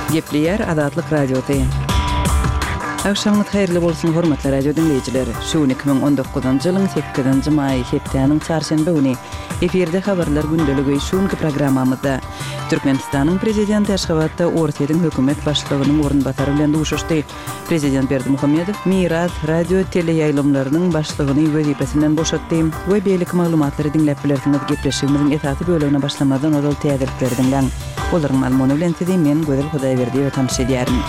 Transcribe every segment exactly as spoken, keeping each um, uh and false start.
Gepleýär Azatlyk Radiosy. Agşamyňyz haýyrly bolsun, hormatly radio diňleýjiler. Şu gün iki müň on dokuzynjy ýylyň sekizinji maýy, hepdäniň çarşenbe güni. Efirde habarlar gündeligi şu günki programmamyzda. Türkmenistanyň Prezidenti Aşgabatda Orsýetiň hökümet başlygynyň orunbasary bilen duşuşdy. Prezident Berdimuhamedow Miras radio teleýaýlymlarynyň başlygyny wezipesinden boşatdy we beýleki maglumatlary diňläp bilersiňiz. Gepleşigimiziň esasy bölegine başlamazdan ozal täzelikleri diňläň. Olaryň mazmuny bilen sizi men Gözel Hudaýberdiýewa tanyş edýärin.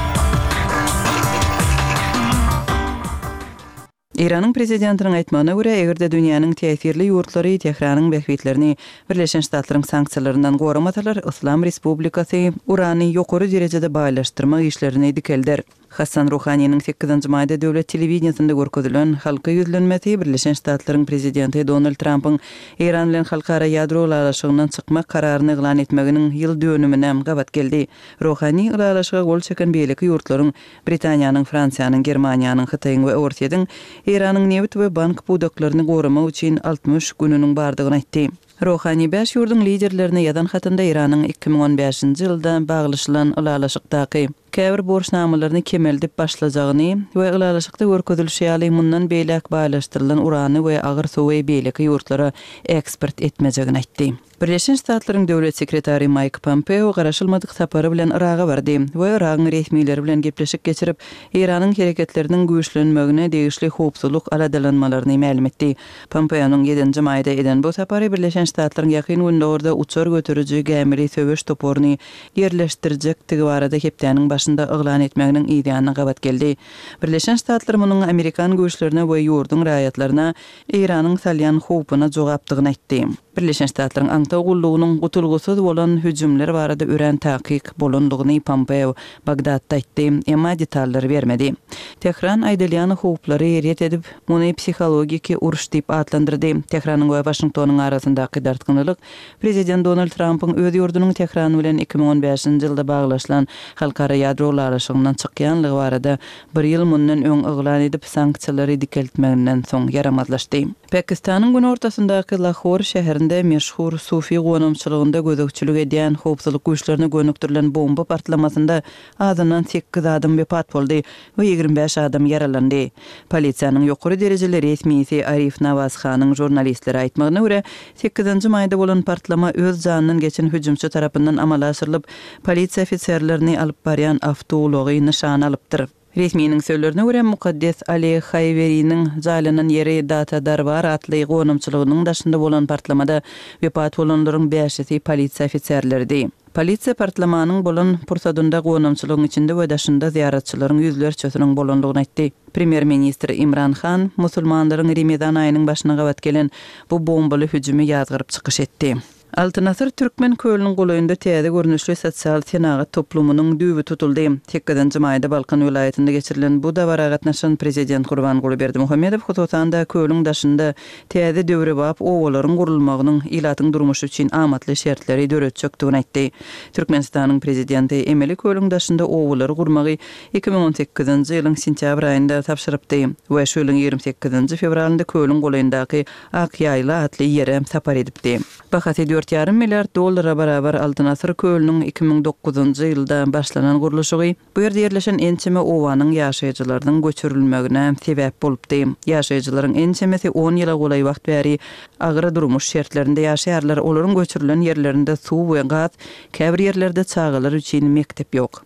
Eýranyň prezidentiniň aýtmagyna görä, eger-de dünýäniň täsirli ýurtlary Tähranyň bähbitlerini Birleşen Ştatlaryň sanksiýalaryndan goramasalar, Yslam Respublikasy urany ýokary derejede baýlaşdyrmak işlerini dikelder. Hassan Ruhaniniň sekizinji maýda döwlet telewideniýesinde görkezilen halka ýüzlenmesi Birleşen Ştatlaryň prezidenti Donald Trampyň Eýran bilen halkara ýadro ylalaşygyndan çykmak kararyny yglan etmeginiň ýyl dönümine gabat geldi. Ruhani ylalaşyga gol çeken beýleki ýurtlaryň Britaniýanyň, Fransiýanyň, Germaniýanyň, Hytaýyň we Orsýetiň Eýranyň nebit we bank pudaklaryny goramak üçin altmyş gününiň bardygyny aýtdy. Ruhani bäş ýurduň liderlerine ýazan hatynda Eýranyň iki müň on bäşinji ýylda baglaşylan ylalaşykdaky käbir borçnamalaryny kemeldip başlajagyny we ylalaşykda görkezilişi ýaly mundan beýläk baýlaşdyrylan urany we agyr suwy beýleki ýurtlara eksport etmejegini aýtdy. Birleşen Ştatlaryň döwlet sekretary Maýk Pompeo garaşylmadyk sapary bilen Yraga bardy we Yragyň resmileri bilen gepleşik geçirip, Eýranyň hereketleriniň güýçlenmegine degişli howpsuzlyk aladalanmalaryny mälim etdi. Pompeonyň ýedinji maýda eden bu sapary Birleşen Ştatlaryň Ýakyn Gündogarda uçar göteriji gämili söweş toparyny ýerleşdirjekdigi barada hepdäniň başynda yglan etmeginiň yz ýanyna gabat geldi. Birleşen Ştatlar munuň amerikan güýçlerine we ýurduň raýatlaryna Eýranyň salýan howpuna jogapdygyny aýtdy. Birleşen Ştatlaryň aňtaw gullugynyň gutulgysyz bolan hüjümler barada örän takyk bolandygyny Pompeo Bagdatda aýtdy, emma detallary bermedi. Tähran aýdylýan howplary ret edip, muny psihologiki uruş diýip atlandyrdy. Tähranyň we Waşingtonyň arasyndaky dartgynlylyk Prezident Donald Trampyň öz ýurdunyň Tähran bilen iki müň on bäşinji ýylda baglaşylan halkara ýadro ylalaşygyndan çykýanlygy barada bir ýyl mundan öň yglan edip, sanksiýalary dikeltmeginden soň ýaramazlaşdy. Pakistanyň günortasyndaky Lahor şäherinde meşhur sufi gonamçylygynda gözegçilik edýän howpsuzlyk güýçlerine gönükdirilen bomba partlamasynda azyndan sekiz adam wepat boldy we ýigrimi bäş adam ýaralandy. Polisiýanyň ýokary derejeli resmisi Arif Nawaz Hanyň žurnalistlere aýtmagyna görä, sekizinji maýda bolan partlama öz janyndan geçen hüjümçi tarapyndan amala aşyrylyp, polisiýa ofiserlerini alyp barýan awtoulagy nyşana alypdyr. Resminiň sözlerine görä, mukaddes Ali Haýweriniň jaýlanan ýeri Data Darbar atly gonamçylygynyň daşynda bolan partlamada wepat bolanlaryň bäşisi polisiýa ofiserleridi. Polisiýa partlamanyň bolan pursadynda gonamçylygyň içinde we daşynda zyýaratçylaryň ýüzlerçesiniň bolandygyny aýtdy. Premýer-ministr Imran Han musulmanlaryň Remezan aýynyň başyna gabat gelen bu bombaly hüjümi ýazgaryp çykyş etdi. Altyn asyr Türkmen kölüniň golaýynda täze görnüşli sosial senagat toplumynyň düýbi tutuldy. Sekizinji maýda Balkan welaýatynda geçirilen bu dabara gatnaşan Prezident Gurbanguly Berdimuhamedow hususan-da kölüň daşynda täze döwrebap obalaryň gurulmagynyň ilatyň durmuşy üçin amatly şertleri döretjekdigini aýtdy. Türkmenistanyň Prezidenti emeli kölüň daşynda obalary gurmagy iki müň on sekizinji ýylyň sentýabr aýynda tabşyrypdy we şu ýylyň ýigrimi sekizinji fewralynda kölüň golaýyndaky Ak ýaýla atly ýere sapar edipdi. Bahasy dört ýarym milliard dollara barabar Altyn asyr kölüniň iki müň dokuzynjy ýylda başlanan gurluşygy bu ýerde ýerleşen ençeme obanyň ýaşaýjylarynyň göçürilmegine sebäp bolupdy. Ýaşaýjylaryň ençemesi on ýyla golaý wagt bäri agyr durmuş şertlerinde ýaşaýarlar, olaryň göçürilen ýerlerinde suw we gaz, käbir ýerlerde çagalar üçin mekdep ýok.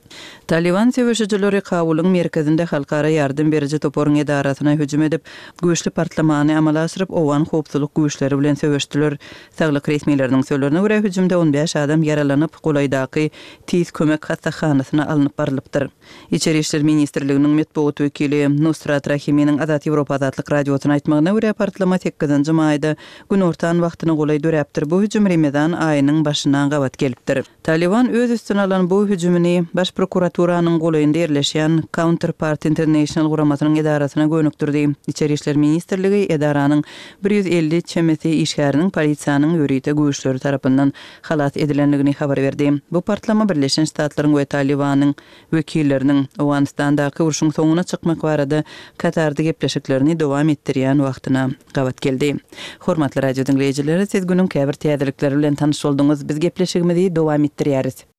Talyban söweşijileri Kabulyň merkezinde halkara ýardam beriji toparyň edarasyna hüjüm edip, güýçli partlamany amala aşyryp, owgan howpsuzlyk güýçleri bilen söweşdiler. Saglyk resmileriniň sözlerine görä, hüjümde on bäş adam ýaralanyp, golaýdaky Tiz kömek hassahanasyna alnyp barylypdyr. Içeri işler ministrliginiň metbugat wekili Nusrat Rahiminiň Azat Ýewropa Azatlyk Radiosyna aýtmagyna görä, partlama sekizinji maýda günortan wagtyna golaý döräpdir. Bu hüjüm Remezan aýynyň başyna gabat gelipdir. Talyban öz üstüne alan bu hüjümini Baş prokuraturanyň golaýynda ýerleşýän Counterpart International guramasynyň edarasyna gönükdirdi. Içeri işler ministrligi edaranyň bir ýüz elli çemesi işgäriniň polisiýanyň ýörite güýçleri tarapyndan halas edilendigini habar berdi. Bu partlama Birleşen Ştatlaryň we Talybanyň wekilleriniň Owganystandaky urşuň soňuna çykmak barada Katarda gepleşiklerini dowam etdirýän wagtyna gabat geldi. Hormatly radio diňleýjiler, siz günüň käbir täzelikleri bilen tanyş bolduňyz. Biz gepleşigimizi dowam etdirýäris.